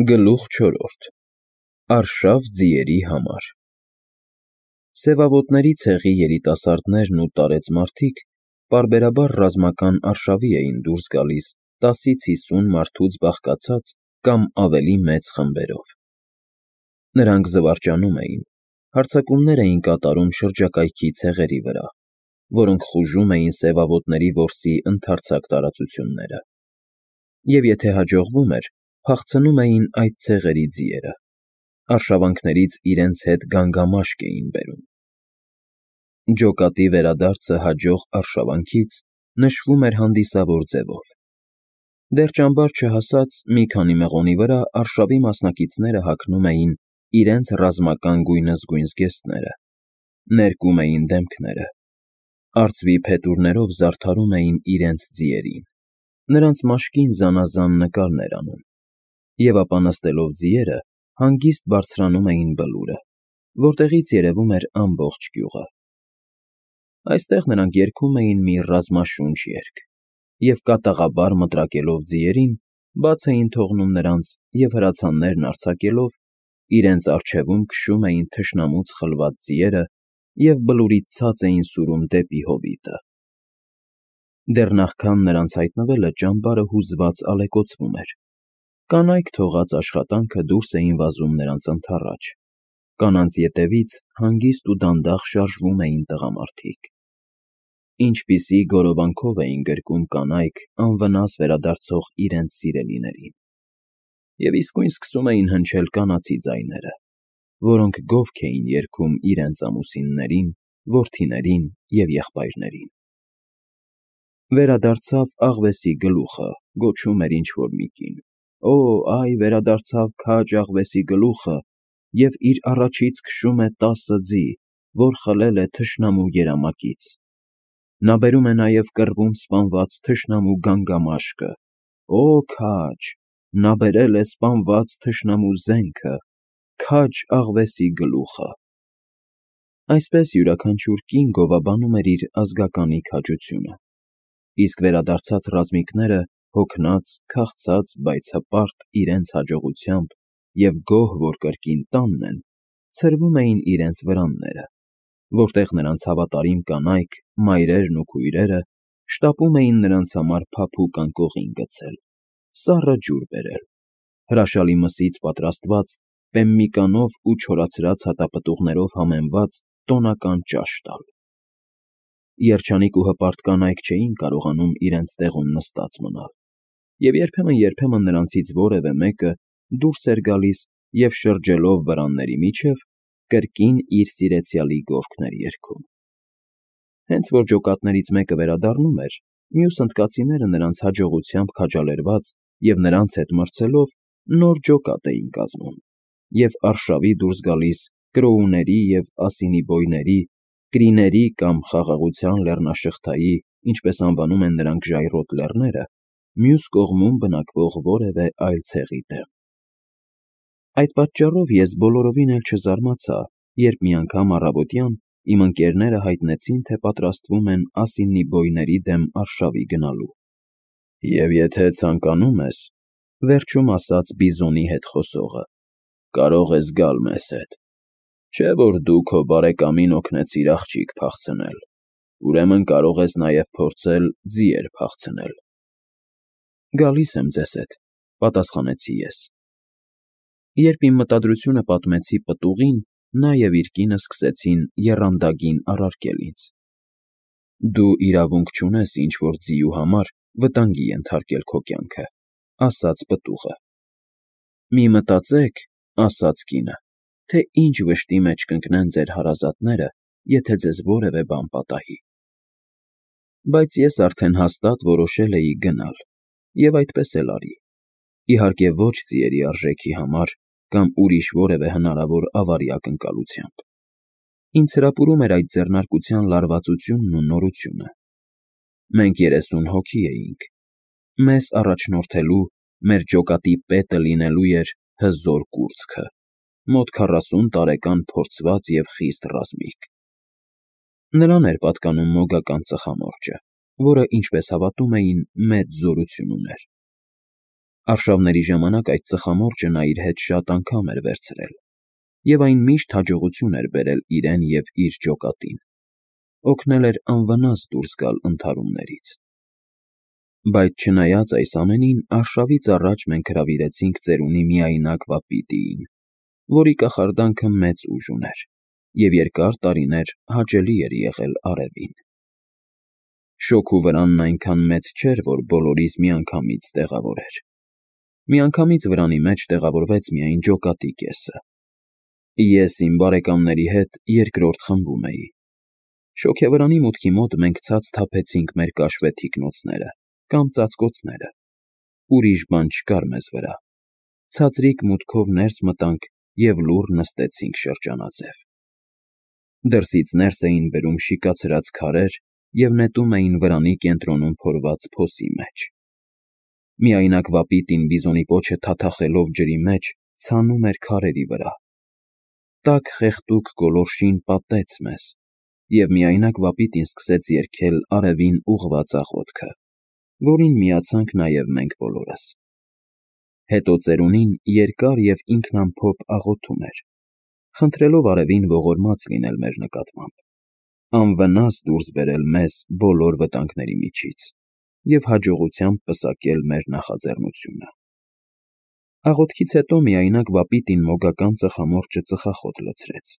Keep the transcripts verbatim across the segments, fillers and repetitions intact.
Գլուխ չորրորդ Արշավ ձիերի համար Սևավոտների ցեղի երիտասարդներն ու տարեց մարդիկ պարբերաբար ռազմական արշավի էին դուրս գալիս տասից հիսուն մարդուց բաղկացած կամ ավելի մեծ խմբերով։ Նրանք զվարճանում էին, հարձակումներ էին կատարում շրջակայքի ցեղերի վրա, որոնք խուժում էին սևավոտների որսի ընդարձակ տարածությունները, և եթե հաջողվում էր, փախցնում էին այդ ցեղերի ձիերը, արշավանքներից իրենց հետ գանգամաշկ էին բերում։ Ջոկատի վերադարձը հաջող արշավանքից նշվում էր հանդիսավոր ձևով։ Դեռ ճամբար չհասած մի քանի մղոնի վրա արշավի մասնակիցները հագնում էին իրենց ռազմական գույնզգույն զգեստները, ներկում էին դեմքները, արծվի փետուրներով զարդարում էին իրենց ձիերին, նրանց մաշկին զանազան նկարներ անում, և ապա նստելով ձիերը հանգիստ բարձրանում էին բլուրը, որտեղից երևում էր ամբողջ գյուղը։ Այստեղ նրանք երգում էին մի ռազմաշունչ երգ և կատաղաբար մտրակելով ձիերին, բաց էին թողնում նրանց և հրացաններն արձակելով, իրենց առջևում քշում էին թշնամուց խլված ձիերը և բլուրից ցած էին սուրում դեպի հովիտը։ Դեռ նախքան նրանց հայտնվելը ճամբարը հուզված ալեկոծվում էր, կանայք թողած աշխատանքը դուրս էին վազում նրանց ընդառաջ, կանանց ետևից հանգիստ ու դանդաղ շարժվում էին տղամարդիկ։ Ինչպիսի գորովանքով էին գրկում կանայք անվնաս վերադարձող իրենց սիրելիներին, և իսկույն սկսում էին հնչել կանացի ձայները, որոնք գովք էին երգում իրենց ամուսիններին, որդիներին և եղբայրներին։ Վերադարձավ աղվեսի գլուխը, գոչում էր ինչ֊որ մի կին, օ, այ վերադարձավ քաջ աղվեսի գլուխը և իր առաջից քշում է տասը ձի, որ խլել է թշնամու երամակից։ Նա բերում է նաև կռվում սպանված թշնամու գանգամաշկը, օ, քաջ, նա բերել է սպանված թշնամու զենքը, քաջ աղվեսի գլուխը։ Այսպես յուրաքանչյուր կին գովաբանում էր իր ազգականի քաջությունը, իսկ վերադարձած ռազմիկները հոգնած, քաղցած, բայց հպարտ իրենց հաջողությամբ և գոհ, որ կրկին տանն են, ցրվում էին իրենց վրանները, որտեղ նրանց հավատարիմ կանայք, մայրերն ու քույրերը շտապում էին նրանց համար փափուկ անկողին գցել, սառը ջուր բերել, հրաշալի մսից պատրաստված պեմմիկանով ու չորացրած հատապտուղներով համեմված տոնական ճաշ տալ։ Երջանիկ ու հպարտ կանայք չէին կարողանում իրենց տեղում նստած մնալ, և երբեմն֊երբեմն նրանցից որևէ մեկը դուրս էր գալիս և շրջելով վրանների միջև կրկին իր սիրեցյալի գովքն էր երգում։ Հենց որ ջոկատներից մեկը վերադառնում էր, մյուս հնդկացիները նրանց հաջողությամբ քաջալերված և նրանց հետ մրցելով նոր ջոկատ էին կազմում և արշավի դուրս գալիս կրոուների և ասինիբոյների, կրիների կամ խաղաղության լեռնաշղթայի, ինչպես անվանում են նրանք ժայռոտ լեռները, մյուս կողմում բնակվող որևէ այլ ցեղի դեմ։ Այդ պատճառով ես բոլորովին էլ չզարմացա, երբ մի անգամ առավոտյան իմ ընկերները հայտնեցին, թե պատրաստվում են ասինիբոյների դեմ արշավի գնալու։ «Եվ եթե ցանկանում ես,֊ վերջում ասաց Բիզոնի հետ խոսողը,֊ կարող ես գալ մեզ հետ, չէ՞ որ դու քո բարեկամին օգնեցիր աղջիկ փախցնել, ուրեմն կարող ես նաև փորձել ձիեր փախցնել»։ «Գալիս եմ ձեզ հետ,֊ պատասխանեցի ես։ Երբ իմ մտադրությունը պատմեցի պտուղին, նա և իր կինը սկսեցին եռանդագին առարկել ինձ։ «Դու իրավունք չունես ինչ֊որ ձիու համար վտանգի ենթարկել քո կյանքը,֊ ասաց պտուղը։ Մի մտածեք,֊ ասաց կինը,֊ թե ինչ վշտի մեջ կընկնեն ձեր հարազատները, եթե ձեզ որևէ բան պատահի։ Բայց ես արդեն հաստատ որոշել էի գնալ, և այդպես էլ արի, իհարկե ոչ ձիերի արժեքի համար կամ ուրիշ որևէ հնարավոր ավարի ակնկալությամբ։ Ինձ հրապուրում էր այդ ձեռնարկության լարվածությունն ու նորությունը։ Մենք երեսուն հոգի էինք, մեզ առաջնորդելու, մեր ջոկատի պետը լինելու էր հզոր կուրծքը, մոտ քառասուն տարեկան փորձված և խիստ ռազմիկ։ Նրան էր պատկանում մոգական ծխամորճը, որը, ինչպես հավատում էին, մեծ զորություն ուներ։ Արշավների ժամանակ այդ ծխամորճը նա իր հետ շատ անգամ էր վերցրել, և այն միշտ հաջողություն էր բերել իրեն և իր ջոկատին, օգնել էր անվնաս դուրս գալ ընդհարումներից։ Բայց չնայած այս ամենին, արշավից առաջ մենք հրավիրեցինք ծերունի միայնակ Վապիտիին, որի կախարդանքը մեծ ուժ ուներ, և երկար տարիներ հաճելի էր եղել արևին։ Շոգու վրանն այնքան մեծ չէր, որ բոլորիս միանգամից տեղավորեր։ Միանգամից վրանի մեջ տեղավորվեց միայն ջոկատի կեսը։ Ես իմ բարեկամների հետ երկրորդ խմբում էի։ Շոգևրանի մուտքի մոտ մենք ցած թափեցինք մեր կաշվե թիկնոցները կամ ծածկոցները, ուրիշ բան չկար մեզ վրա, ցածրիկ մուտքով ներս մտանք և լուռ նստեցինք շրջանաձև։ Դրսից ներս էին բերում շիկացրած քարեր և նետում էին վրանի կենտրոնում փորված փոսի մեջ։ Միայնակ Վապիտին բիզոնի պոչը թաթախելով ջրի մեջ ցանում էր քարերի վրա։ Տաք խեղդուկ գոլորշին պատեց մեզ, և միայնակ Վապիտին սկսեց երգել արևին ուղղված աղոթքը, որին միացանք նաև մենք բոլորս։ Հետո ծերունին երկար և ինքնամփոփ աղոթում էր, խնդրելով արևին ողորմած լինել մեր նկատմամբ, անվնաս դուրս բերել մեզ բոլոր վտանգների միջից և հաջողությամբ պսակել մեր նախաձեռնությունը։ Աղոթքից հետո միայնակ Վապիտին մոգական ծխամորճը ծխախոտ լցրեց,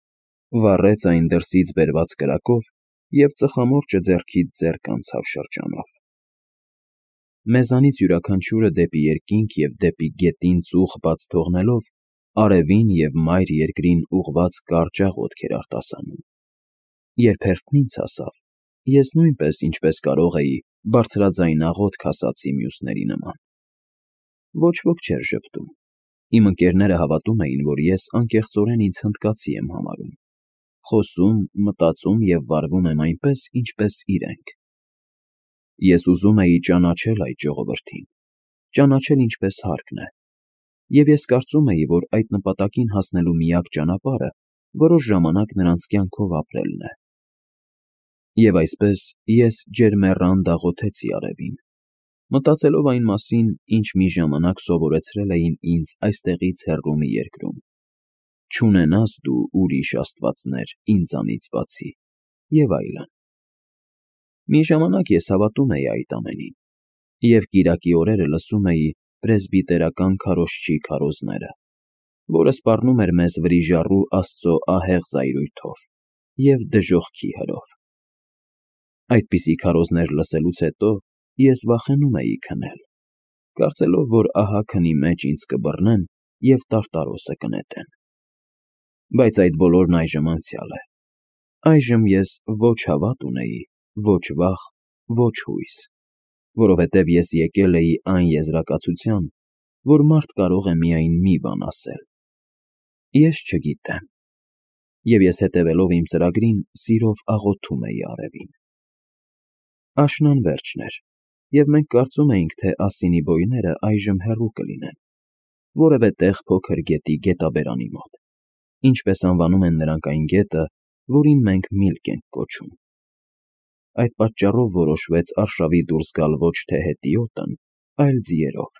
վառեց այն դրսից բերված կրակով և ծխամորճը ձեռքից ձեռք անցավ շրջանով։ Մեզանից յուրաքանչյուրը դեպի երկինք և դեպի գետին ծուխ բաց թողնելով, արևին և մայր երկրին ուղղված կարճ աղոթք էր արտասանում։ Երբ հերթն ինձ հասավ, ես նույնպես, ինչպես կարող էի, բարձրաձայն աղոթք ասացի մյուսների նման։ Ոչ ոք չէր ժպտում։ Իմ ընկերները հավատում էին, որ ես անկեղծորեն ինձ հնդկացի եմ համարում, խոսում, մտածում և վարվում եմ այնպես, ինչպես իրենք։ Ես ուզում էի ճանաչել այդ ժողովրդին, ճանաչել ինչպես հարկն է, և ես կարծում էի, որ այդ նպատակին հասնելու միակ ճանապարհը որոշ ժամանակ նրանց կյանքով ապրելն է։ Եվ այսպես ես ջերմեռանդ աղոթեցի արևին, մտածելով այն մասին, ինչ մի ժամանակ սովորեցրել էին ինձ այստեղից հեռու մի երկրում. չունենաս դու ուրիշ աստվածներ ինձանից բացի, և այլն։ Մի ժամանակ ես հավատում էի այդ ամենին, և կիրակի օրերը լսում էի պրեսբիտերական քարոզչի քարոզները, որը սպառնում էր մեզ վրիժառու Աստծո ահեղ զայրույթով և դժոխքի հրով։ Այդպիսի քարոզներ լսելուց հետո ես վախենում էի քնել, կարծելով, որ ահա քնի մեջ ինձ կբռնեն և տարտարոսը կնետեն։ Բայց այդ բոլորն այժմ անցյալ է։ Այժմ ես ոչ հավատ ունեի, ոչ վախ, ոչ հույս, որովհետև ես եկել էի այն եզրակացության, որ մարդ կարող է միայն մի բան ասել. «Ես չգիտեմ», և ես հետևելով իմ ծրագրին, սիրով աղոթում էի արևին։ Աշնան վերջն էր, և մենք կարծում էինք, թե ասինի բոյները այժմ հեռու կլինեն, որևէ տեղ փոքր գետի գետաբերանի մոտ, ինչպես անվանում են նրանք այն գետը, որին մենք Միլք ենք կոչում։ Այդ պատճառով որոշվեց արշավի դուրս գալ ոչ թե հետիոտն, այլ ձիերով։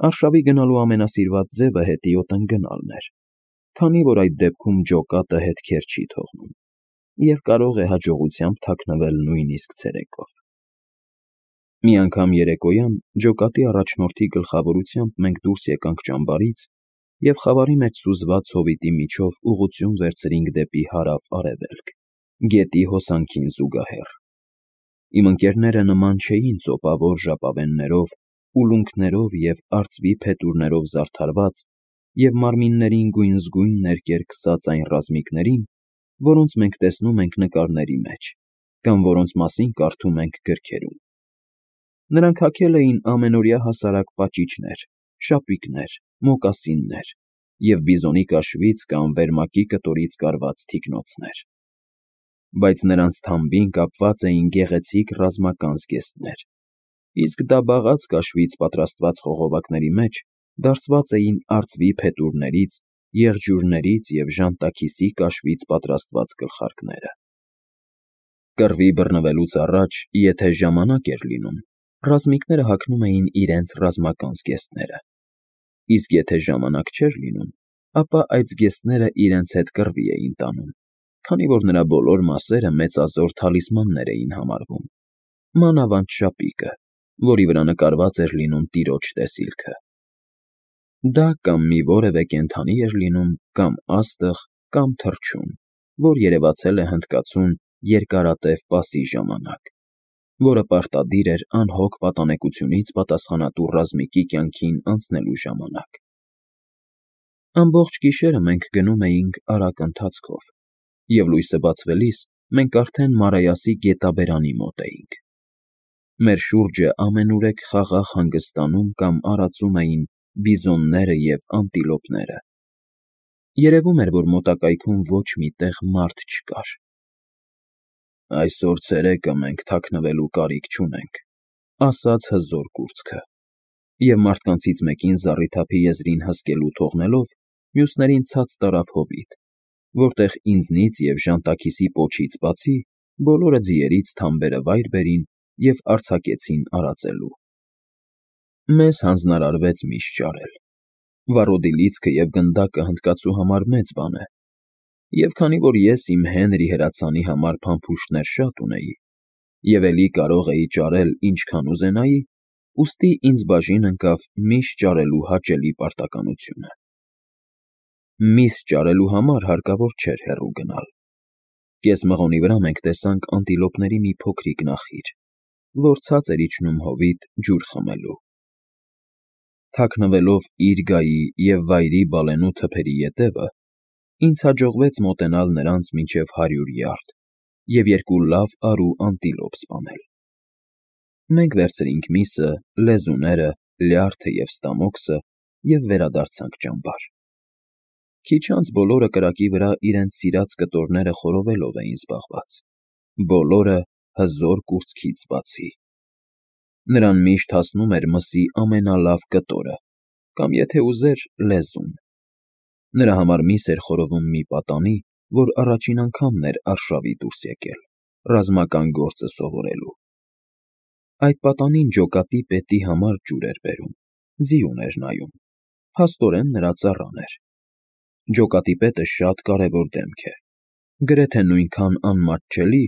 Արշավի գնալու ամենասիրված ձևը հետիոտն գնալն էր, քանի որ այդ դեպքում ջոկատը հետքեր չի թողնում և կարող է հաջողությամբ թաքնվել նույնիսկ ցերեկով։ Մի անգամ երեկոյան ջոկատի առաջնորդի գլխավորությամբ մենք դուրս եկանք ճամբարից և խավարի մեջ սուզված հովիտի միջով ուղղություն վերցրինք դեպի հարավ֊արևելք, գետի հոսանքին զուգահեռ։ Իմ ընկերները նման չէին ծոպավոր ժապավեններով, ուլունքներով և արծվի փետուրներով զարդարված և մարմիններին գույնզգույն ներկեր քսած այն ռազմիկներին, որոնց մենք տեսնում ենք նկարների մեջ կամ որոնց մասին կարդում ենք գրքերում։ Նրանք հագել էին ամենօրյա հասարակ պաճիճներ, շապիկներ, մոկասիններ և բիզոնի կաշվից կամ վերմակի կտորից կարված թիկնոցներ։ Բայց նրանց թամբին կապված էին գեղեցիկ ռազմական զգեստներ, իսկ դաբաղած կաշվից պատրաստված խողովակների մեջ դարսված էին արծվի փետուրներից, եղջյուրներից և ժանտաքիսի կաշվից պատրաստված գլխարկները։ Կռվի բռնվելուց առաջ, եթե ժամանակ էր լինում, Ռազմիկները հագնում էին իրենց ռազմական զգեստները, իսկ եթե ժամանակ չէր լինում, ապա այդ զգեստները իրենց հետ կռվի էին տանում, քանի որ նրա բոլոր մասերը մեծազոր թալիսմաններ էին համարվում, մանավանդ շապիկը, որի վրա նկարված էր լինում տիրոջ տեսիլքը։ Դա կամ մի որևէ կենդանի էր լինում, կամ աստղ, կամ թռչուն, որ երևացել է հնդկացուն Երկարատև պասի ժամանակ, որը պարտադիր էր անհոգ պատանեկությունից պատասխանատու ռազմիկի կյանքին անցնելու ժամանակ։ Ամբողջ գիշերը մենք գնում էինք արագ ընթացքով, և լույսը բացվելիս մենք արդեն Մարայասի գետաբերանի մոտ էինք։ Մեր շուրջը ամենուրեք խաղաղ հանգստանում կամ արածում էին բիզոնները և անտիլոպները։ Երևում էր, որ մոտակայքում ոչ մի տեղ մարդ չկար։ «Այսօր ցերեկը մենք թաքնվելու կարիք չունենք», ֊ ասաց հզոր կուրծքը, և մարդկանցից մեկին զառիթափի եզրին հսկելու թողնելով, մյուսներին ցած տարավ հովիտ, որտեղ ինձնից և ժանտաքիսի պոչից բացի բոլորը ձիերից թամբերը վայր բերին և արձակեցին արածելու։ Մեզ հանձնարարվեց միշ ճարել։ Վառոդի լիցքը և գնդակը հնդկացու համար մեծ բան է, և քանի որ ես իմ Հենրի հրացանի համար փամփուշտներ շատ ունեի, և էլի կարող էի ճարել ինչքան ուզենայի, ուստի ինձ բաժին ընկավ միշ ճարելու հաճելի պարտականությունը։ Միս ճարելու համար հարկավոր չէր հեռու գնալ։ Կես մղոնի վրա մենք տեսանք անտիլոպների մի փոքրիկ նախիր, որ ցած էր իջնում հովիտ ջուր խմելու։ Թաքնվելով իր գայի և վայրի բալենու թփերի ետևը, ինձ հաջողվեց մոտենալ նրանց մինչև հարյուր յարդ և երկու լավ արու անտիլոպ սպանել։ Մենք վերցրինք միսը, լեզուները, լյարդը և ստամոքսը և վերադարձանք ճամբար։ Քիչ անց բոլորը կրակի վրա իրենց սիրած կտորները խորովելով էին զբաղված, բոլորը հզոր կուրծքից բացի։ Նրան միշտ հասնում էր մսի ամենալավ կտորը կամ, եթե ուզեր, լեզուն։ Նրա համար միս էր խորովում մի պատանի, որ առաջին անգամն էր արշավի դուրս եկել, ռազմական գործը սովորելու։ Այդ պատանին ջոկատի պետի համար ջուր էր բերում, ձիուն էր նայում, փաստորեն նրա ծառան էր։ Ջոկատի պետը շատ կարևոր դեմք է, գրեթե նույնքան անմատչելի,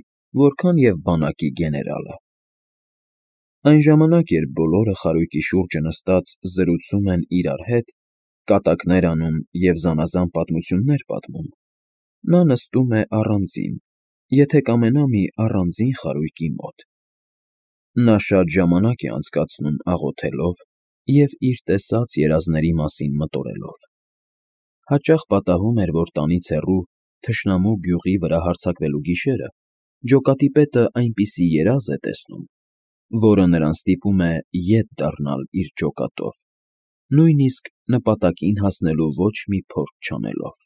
որքան և բանակի գեներալը։ Այն ժամանակ, երբ բոլորը խարույկի շուրջը նստած զրուցում են իրար հետ, կատակներ անում և զանազան պատմություններ պատմում, նա նստում է առանձին, եթե կամենա մի առանձին խարույկի մոտ։ Նա շատ ժամանակ է անցկացնում աղոթելով և իր տեսած երազների մասին մտորելով։ Հաճախ պատահում էր, որ տանից հեռու, թշնամու գյուղի վրա հարձակվելու գիշերը ջոկատի պետը այնպիսի երազ է տեսնում, որը նրան ստիպում է ետ դառնալ իր ջոկատով, նույնիսկ նպատակին հասնելու ոչ մի փորձ չանելով։